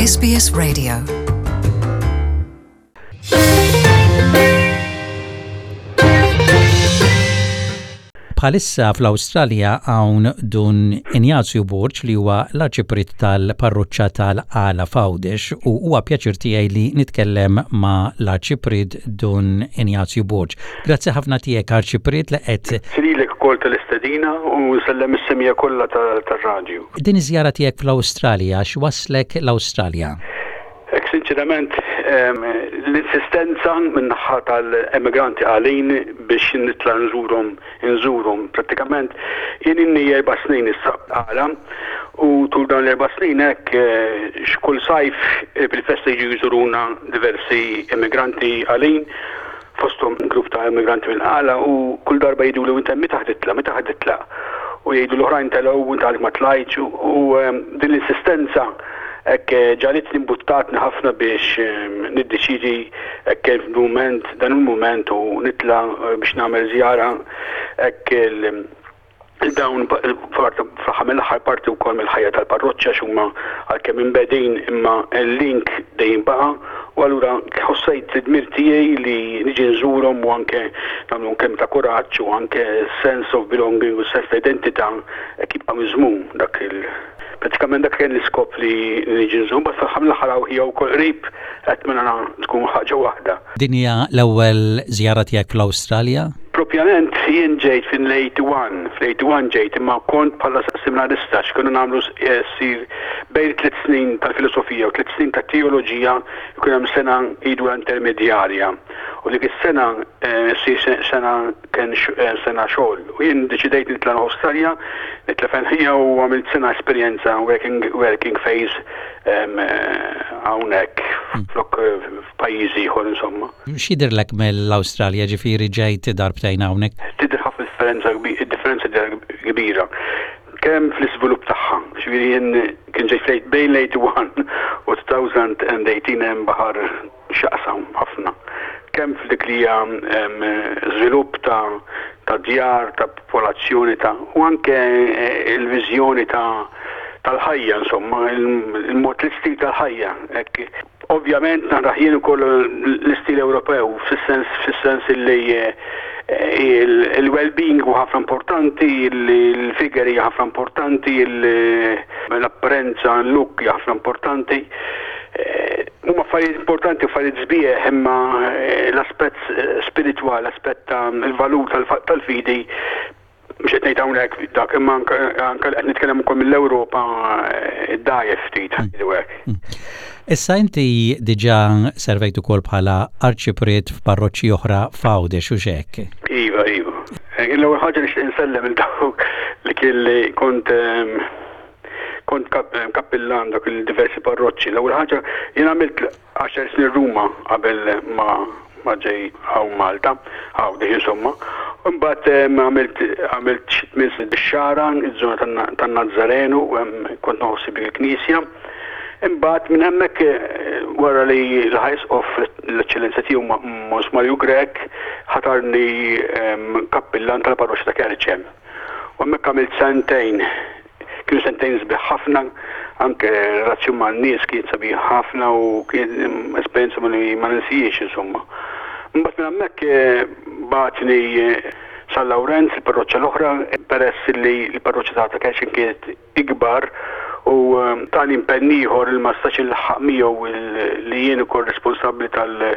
SBS Radio. Bħalissa fl-Awstralja hawn Dun Injazju Borg li huwa l-Arċipriet tal-Parroċċa tal-Qala f'Għawdex u huwa pjaċir tiegħi li nitkellem ma' l-Arċipriet Dun Injazju Borg. Grazzi ħafna tiegħek Arċipriet li qed Lilek ukoll tal-istedina u nsellem is-semmiegħa kollha tar-radju. Din iż-żjara tiegħek fl-Awstralja x'wasslek l-Awstralja? Hekk sinċerament l-insistenza min-naħa tal-emigranti Qalin biex nitla' nżurhom inżurhom. Prattikament jien ilni erba' snin issa Qala u tul dawn l-erba' snin hekk x'kull sajf fil-festa jiġu jżuruna diversi emigranti Qalin fosthom grupp ta' immigranti mill-Qala u kull darba jgħiduli u inta meta ħa titla', meta ħa titla'? U jgħidu l-oħrajn telgħu u inta għalek ma tlajtx u din l-insistenza hekk ġagħlitni mbuttatni ħafna biex niddeċiedi hekk il-mument dan il-mument u nitla' biex nagħmel żjara hekk Dawn fl-aħħar mill-aħħar parti wkoll mill-ħajja tal-parroċċa għax huma għalkemm imbegħdin imma l-link dejjem baqa' u allura ħossejt id-dmir tiegħi li niġi nżurhom u anke nagħmlhom kelma ta' kuraġġ u anke sense of belonging u sens ta' identità hekk jibqa' miżmum dak il Pratikament dak kien l-iskop li niġi nżur, mbagħad fl-aħħar mill-aħħar hawn hija wkoll qrib qed mela tkun ħaġa waħda. Din hija l-ewwel żjara tiegħek fl-Awstralja? Propjament jien ġejt fin-81, fl-81 ġejt imma kont bħala seminarista x'kienu nagħmlu ssir bejn tliet snin tal-filosofija u tliet snin tat-teoloġija jkun hemm sena jgħidulha intermedjarja u dik is-sena ssir sena kien sena xogħol u jien deċidejt nitla' l-Awstralja, nitla' fejn ħija u għamilt sena esperjenza working, working phase hawnhekk flok f'pajjiż ieħor insomma. X'jidhirlek mill-Awstralja ġifieri ġejt darbtejn hawnhekk? Tidher ħafna differenza differenza kbira kemm fl-iżvilupp tagħha. Ġifieri jien kien ġejt bejn l-81 u 2018 hemm baħar x'jaqsam ħafna kemm f'dik li hija żvilupp ta' ta' djar, ta' popolazzjoni ta' u anke l-viżjoni ta' tal-ħajja insomma, il-mod l-istil tal-ħajja. Hekk. Ovvjament narah jien ukoll l-istil Ewropew fis-sens fis-sens illi il-well-being huwa ħafna importanti, il-figure hija ħafna importanti, l-apparenza, l-look hija ħafna importanti. Huma affarijiet importanti, affarijiet sbieħ, imma l-aspett spiritwali, l-aspett ta' il-valur tal-fidi, mhux qed ngħid hawnhekk dak, imma anke qed nitkellem ukoll mill-Ewropa ddgħajjef ftit, ngħidu hekk. Issa inti diġà servejt ukoll bħala arċipriet f'parroċċi oħra f'Għawdex hux hekk? Iva, iva. L-ewwel ħaġa nixtieq insellem lil dawk li kelli kont Kont kappillan dak il-diversi parroċċi. L-ewwel ħaġa jien għamilt għaxar snin Ruma qabel ma ma ġej hawn Malta, Għawdex insomma. Imbagħad għamilt għamilt xi tmien snin bix-Xagħra, iż-żona tan-Nazzarenu, kont noħossib dik il-knisja. Imbagħad minn hemmhekk wara li l-Ħajsqof l-Eċċellenza tiegħu Mons Mario Grech ħatarni kappillan tal-parroċċa ta' Kerċem. U hemmhekk għamilt sentejn. Kienu sentejn sbieħ ħafna, anke relazzjon man-nies kienet sabiħa ħafna u kien esperjenza li ma ninsijiex insomma. Mbagħad minn hemmhekk eh, bagħatni eh, San Lawrenz, il-parroċċa l-oħra, peress li l-parroċċa ta' Kerxin kienet ikbar u eh, tani impenn ieħor li ma stax inlaħħaq miegħu li jien ukoll responsabbli tal-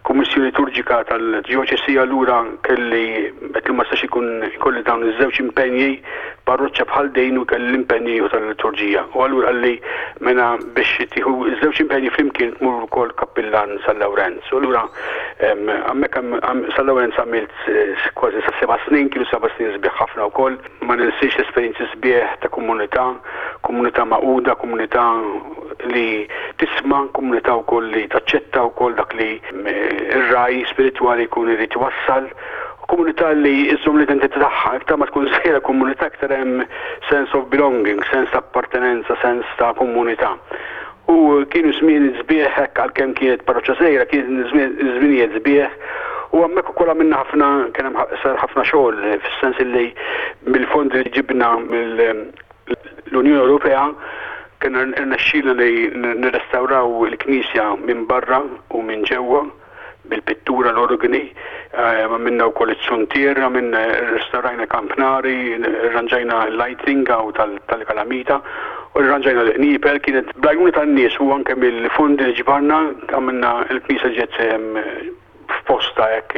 Kummissjoni Liturġika tal-Djoċesi allura kelli qed li ma stax ikun ikolli dawn iż-żewġ impenji parroċċa bħal din u kelli l-impenji ieħor tal-liturġija. U allura qalli mela biex tieħu ż-żewġ impenji flimkien tmur ukoll kappillan San Lawrenz. U allura hemmhekk San Lawrenz għamilt kważi sa seba' snin, kienu seba' snin sbieħ ħafna wkoll. Ma ninsiex l-esperjenzi sbieħ ta' komunità, komunità magħquda, komunità li tisma', komunità wkoll li taċċetta wkoll dak li r-ragħaj spiritwali jkun irid iwassal, komunità li żżomm l-identità tagħha. Iktar ma tkun żgħira komunità iktar hemm sense of belonging, sens ta' appartenenza, sens ta' komunità. U kienu żmien sbieħ hekk għalkemm kienet parroċċa żgħira, kien żminijiet sbieħ u hemmhekk ukoll għamilna ħafna kien hemm sar ħafna xogħol fis-sens illi mill-fondi li ġibna mill-Unjoni Ewropea. Kien irnexxielna li nirrestawraw il-knisja minn barra u minn ġewwa bil-pittura l-organi, għamilna wkoll it-suntier, għamilna rrestawrajna kampnari, rranġajna l-lighting hawn tal-kalamita u rranġajna l-qniepel. Kienet bl-għajnuna tan-nies u anke mill-fondi li ġbarna għamilna l-knisja ġiet f'postha hekk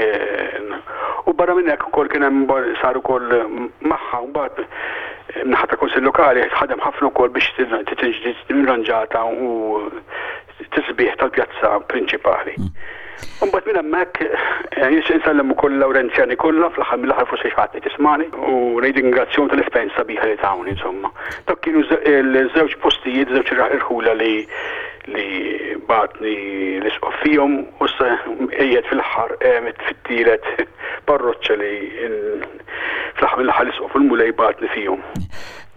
u barra minn hekk ukoll kien hemm sar ukoll magħha mbagħad min-naħa tal-Kunsill Lokali ħadem ħafna wkoll biex tiġi rranġata u tisbiħ tal-pjazza prinċipali. Imbagħad minn hemmhekk nixtieq insellem ukoll il-Lawrenzjani kollha fl-aħħar mill-aħħar forsi xi ħadd qed jismagħni u ngħid ringrazzjahom tal-esperjenza sabiħa li tawni insomma. Dak kienu ż-żewġ postijiet, żewġ irħula li li bagħatni l-Isqof fihom u issa qiegħed fil-aħħar fit-tielet parroċċa li fl-aħħar mill-aħħar l-Isqof u l-Mulej bagħatni fihom.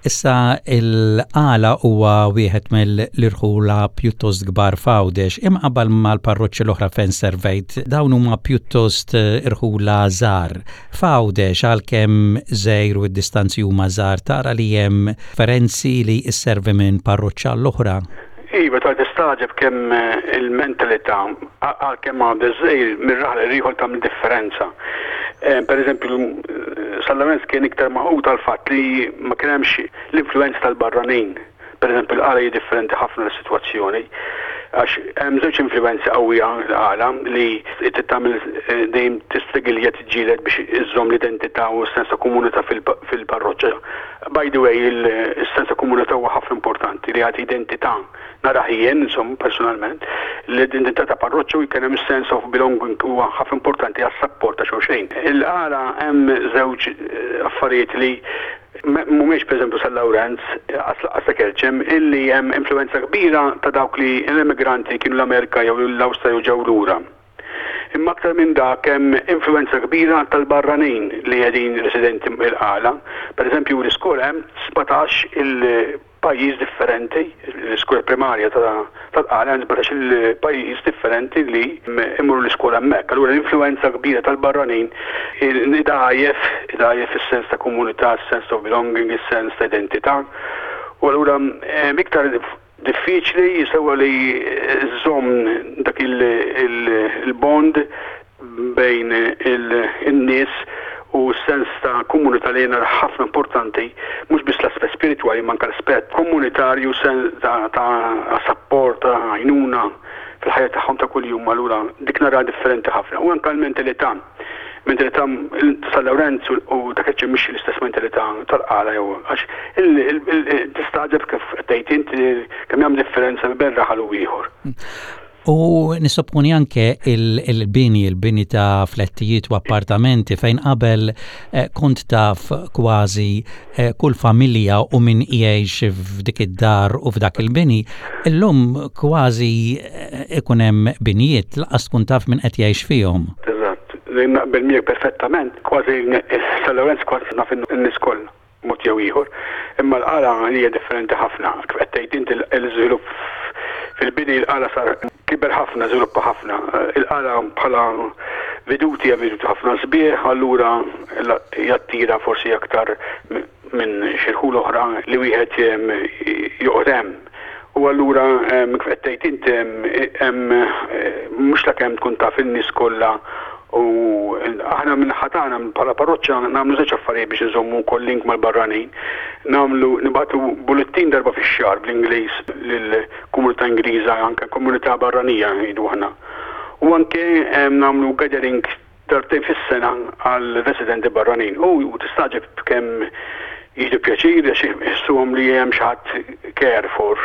Issa il-Qala huwa wieħed mill-irħula pjuttost kbar f'Għawdex, imqabbal mal-parroċċi l-oħra fejn servejt, dawn huma pjuttost irħula żgħar. F'Għawdex għalkemm żgħir u d-distanzi huma żgħar tara li hemm differenzi li sservi minn parroċċa għall-oħra? Iva, tara tistagħġeb kemm il-mentalità, għalkemm Għawdex żgħir, minn raħal għal ieħor tagħmel differenza. Per eżempju, San Lawrenz kien iktar magħqud għall-fatt li ma kien hemmx l-influwenza tal-barranin. Per eżempju, l-Qala hi differenti ħafna l-sitwazzjoni għax hemm żewġ influwenzi qawwija l-Qala li trid tagħmel dejjem tistrigilja tiġġieled biex iżżomm l-identità u s-sens ta' komunità fil-parroċċa. By the way, is-sens ta' komunità huwa ħafna importanti li jagħti identità, narah jien, insomma, personalment, l-identità ta' parroċċa u jkun hemm sense of belonging huwa ħafna importanti għas-sapport ta' xulxin. Il-għala hemm żewġ affarijiet li mhumiex pereżempju San Lawrenz, lanqas ta' Kerċem, illi hemm influwenza kbira ta' dawk li l-immigranti kienu l-Amerika jew l-Awstralja u ġew lura. Imma aktar minn dak hemm influwenza kbira tal-barranin li qegħdin residenti il-Qala. Per eżempju l-iskola hemm 17 il-pajjiż differenti, l-iskola primarja tal-Qala hemm 17 il-pajjiż differenti li imorru l-iskola hemmhekk. Allura l-influwenza kbira tal-barranin idgħajjef, idgħajjef is-sens ta' komunità, is-sens of belonging, is-sens ta' identità. U allura iktar Diffiċli sewwa li żżomm dak il-bond bejn in-nies u s-sens ta' komunità li jiena ħafna importanti, mhux biss l-aspett spiritwali imma anke l-aspett komunitarju, sens ta' sapport, ta' għajnuna fil-ħajja tagħhom ta' kuljum, allura dik naraha differenti ħafna. U anke l-mentalità. Mentalità ta' San Lawrenz u ta' Kerċem mhix l-istess mentalità tal-Qala jew għax tistagħġeb kif qed tgħid int kemm hemm differenza bejn raħal u ieħor. U nissopponi anke il-bini, il-bini ta' flettijiet u appartamenti fejn qabel eh, kont taf kważi eh, kull familja u min jgħix f'dik id-dar u f'dak il-bini, illum kważi eh, ikun hemm binjiet laqas tkun taf min qed jgħix fihom. Eżatt, naqbel miegħek perfettament, kważi San Lawrenz kważi naf in-nies kollha mod jew ieħor. Imma l-Qala hija differenti ħafna. Kif qed tgħid inti l-iżvilupp fil-bini l-Qala sar kiber ħafna, żviluppa ħafna. Il-Qala bħala veduti hija veduti ħafna sbieħ, allura jattira forsi aktar minn xi rħula oħra li wieħed joqgħod hemm. U allura kif qed tgħid int hemm mhux ta' kemm tkun taf in-nies kollha u aħna min-naħa tagħna bħala parroċċa nagħmlu żewġ affarijiet biex inżommu wkoll link mal-barranin. Nagħmlu nibagħtu bullettin darba fix-xahar bl-Ingliż lill-komunità Ingliża anke komunità barranija ngħidu aħna. U anke nagħmlu gathering darbtejn fis-sena għal residenti barranin u tistagħġeb kemm jieħdu pjaċir għax iħossuhom li hemm xi ħadd care for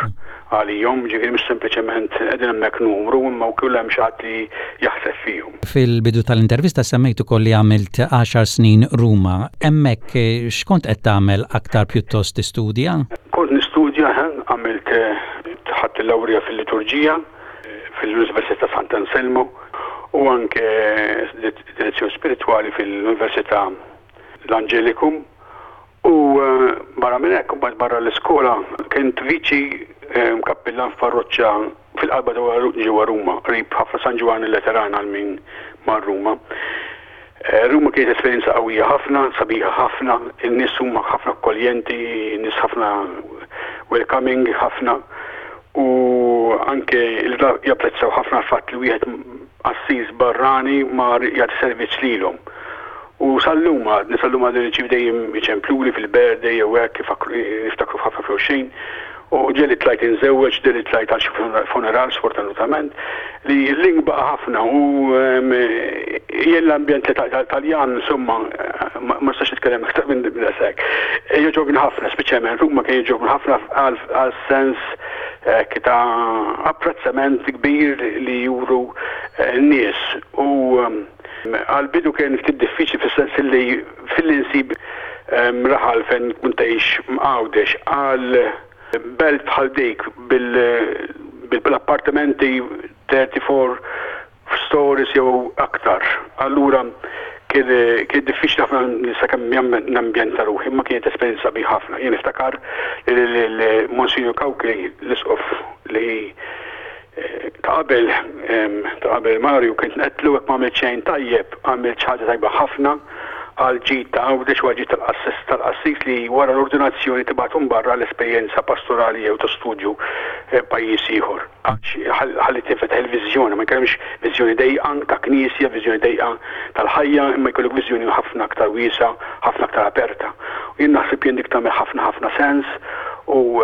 għalihom, ġifieri mhux sempliċement qegħdin hemmhekk numru imma wkoll hemm xi ħadd li jaħseb fihom. Fil-bidu tal-intervista semmejt ukoll li għamilt għaxar snin Ruma. Hemmhekk x'kont qed tagħmel aktar pjuttost tistudja? Kont nistudja, għamilt ħadt il-lawrija fil-liturġija fil-Università ta' Sant'Anselmo u anke direzzjoni spiritwali fil-Università l-Angelicum u barra minn hekk mbagħad barra l-iskola kont viċi kappillan f'parroċċa fil-qalba ta' ġewwa Ruma, qrib ħafna San Ġwann il-Lateran għal min mar Ruma. Ruma kienet esperjenza qawwija ħafna, sabiħa ħafna, in-nies huma ħafna akkoljenti, nies ħafna. welcoming ħafna u anke japprezzaw ħafna l-fatt li wieħed qassis barrani mar jagħti servizz lilhom. U sal-lum għadni, sal-lum għadni nirċievi dejjem iċempluli fil-birthday jew hekk niftakru f'ħafna f'xulxin. U ġieli tlajt inżewweġ, ġieli tlajt għal xi funeral sfortunatament, li l-link baqa' ħafna u jien l-ambjent Taljan insomma ma nistax nitkellem iktar minn daqshekk. Jogħġobni ħafna, speċjalment Ruma kien jogħġobni ħafna għal sens ta' apprezzament kbir li juru n-nies u għall-bidu kien ftit diffiċli fis-sens li filli nsib raħal fejn tkun tgħix mGħawdex għal belt bħal dik bil-appartamenti 34 stories jew aktar. Allura kien kien diffiċli ħafna sakemm nambjenta ruħi, imma kienet esperjenza sabiħa ħafna. Jien niftakar li Monsinjur Cauchi l-Isqof li Ta' qabel, ta' qabel Mario kont ngħedtlu jekk m'għamilt xejn tajjeb, għamilt xi ħaġa tajba ħafna għall-ġid ta' Għawdex u għall-ġid tal-qassis tal-qassis li wara l-ordinazzjoni tibgħathom barra għal esperjenza pastorali jew ta' studju pajjiż ieħor. Għax ħalli tinfetaħ il-viżjoni, ma jkollhomx viżjoni dejqa ta' knisja, viżjoni dejqa tal-ħajja, imma jkollok viżjoni ħafna aktar wiesgħa, ħafna aktar aperta. U jien naħseb jien dik tagħmel ħafna ħafna sens U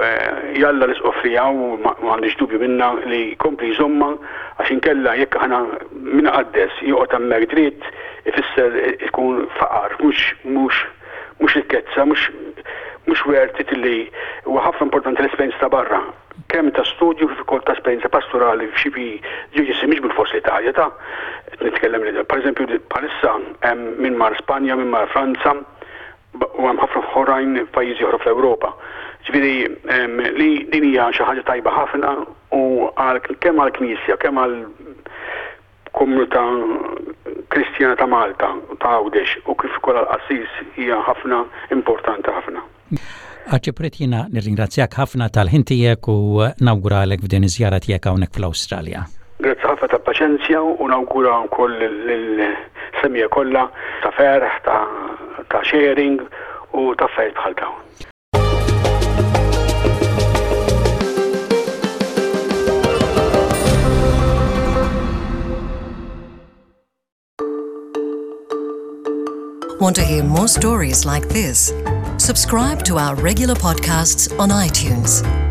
jalla l-Isqof li hawn, ma għandix dubju minnha, li jkompli jżommha għax inkella jekk aħna min iqaddes joqgħod hemmhekk dritt ifisser ikun faqar mhux mhux mhux rikkezza, mhux mhux worth it li huwa ħafna importanti l-esperjenza ta' barra, kemm ta' studju kif ukoll ta' esperjenza pastorali f'xi djoċesi mhix bilfors l-Italja ta' qed nitkellem li pereżempju bħalissa hemm min mar Spanja, min mar Franza, U hemm ħafna oħrajn f'pajjiżi oħra fl-Ewropa. Ġifieri li din hija xi ħaġa tajba ħafna u kemm għall-Knisja, kemm għall-komunità Kristjana ta' Malta, ta' Għawdex u kif ukoll għall-qassis hija ħafna importanti ħafna. Arċipriet jiena nirringrazzjak ħafna tal-ħin tiegħek u nawguralek f'din iż-żjara tiegħek hawnhekk fl-Awstralja. Grazzi ħafna tal-paċenzja u nawgura wkoll lill-semmiegħa kollha ta' ferħ, ta' sharing u ta' affarijiet bħal dawn. Want to hear more stories like this? Subscribe to our regular podcasts on iTunes.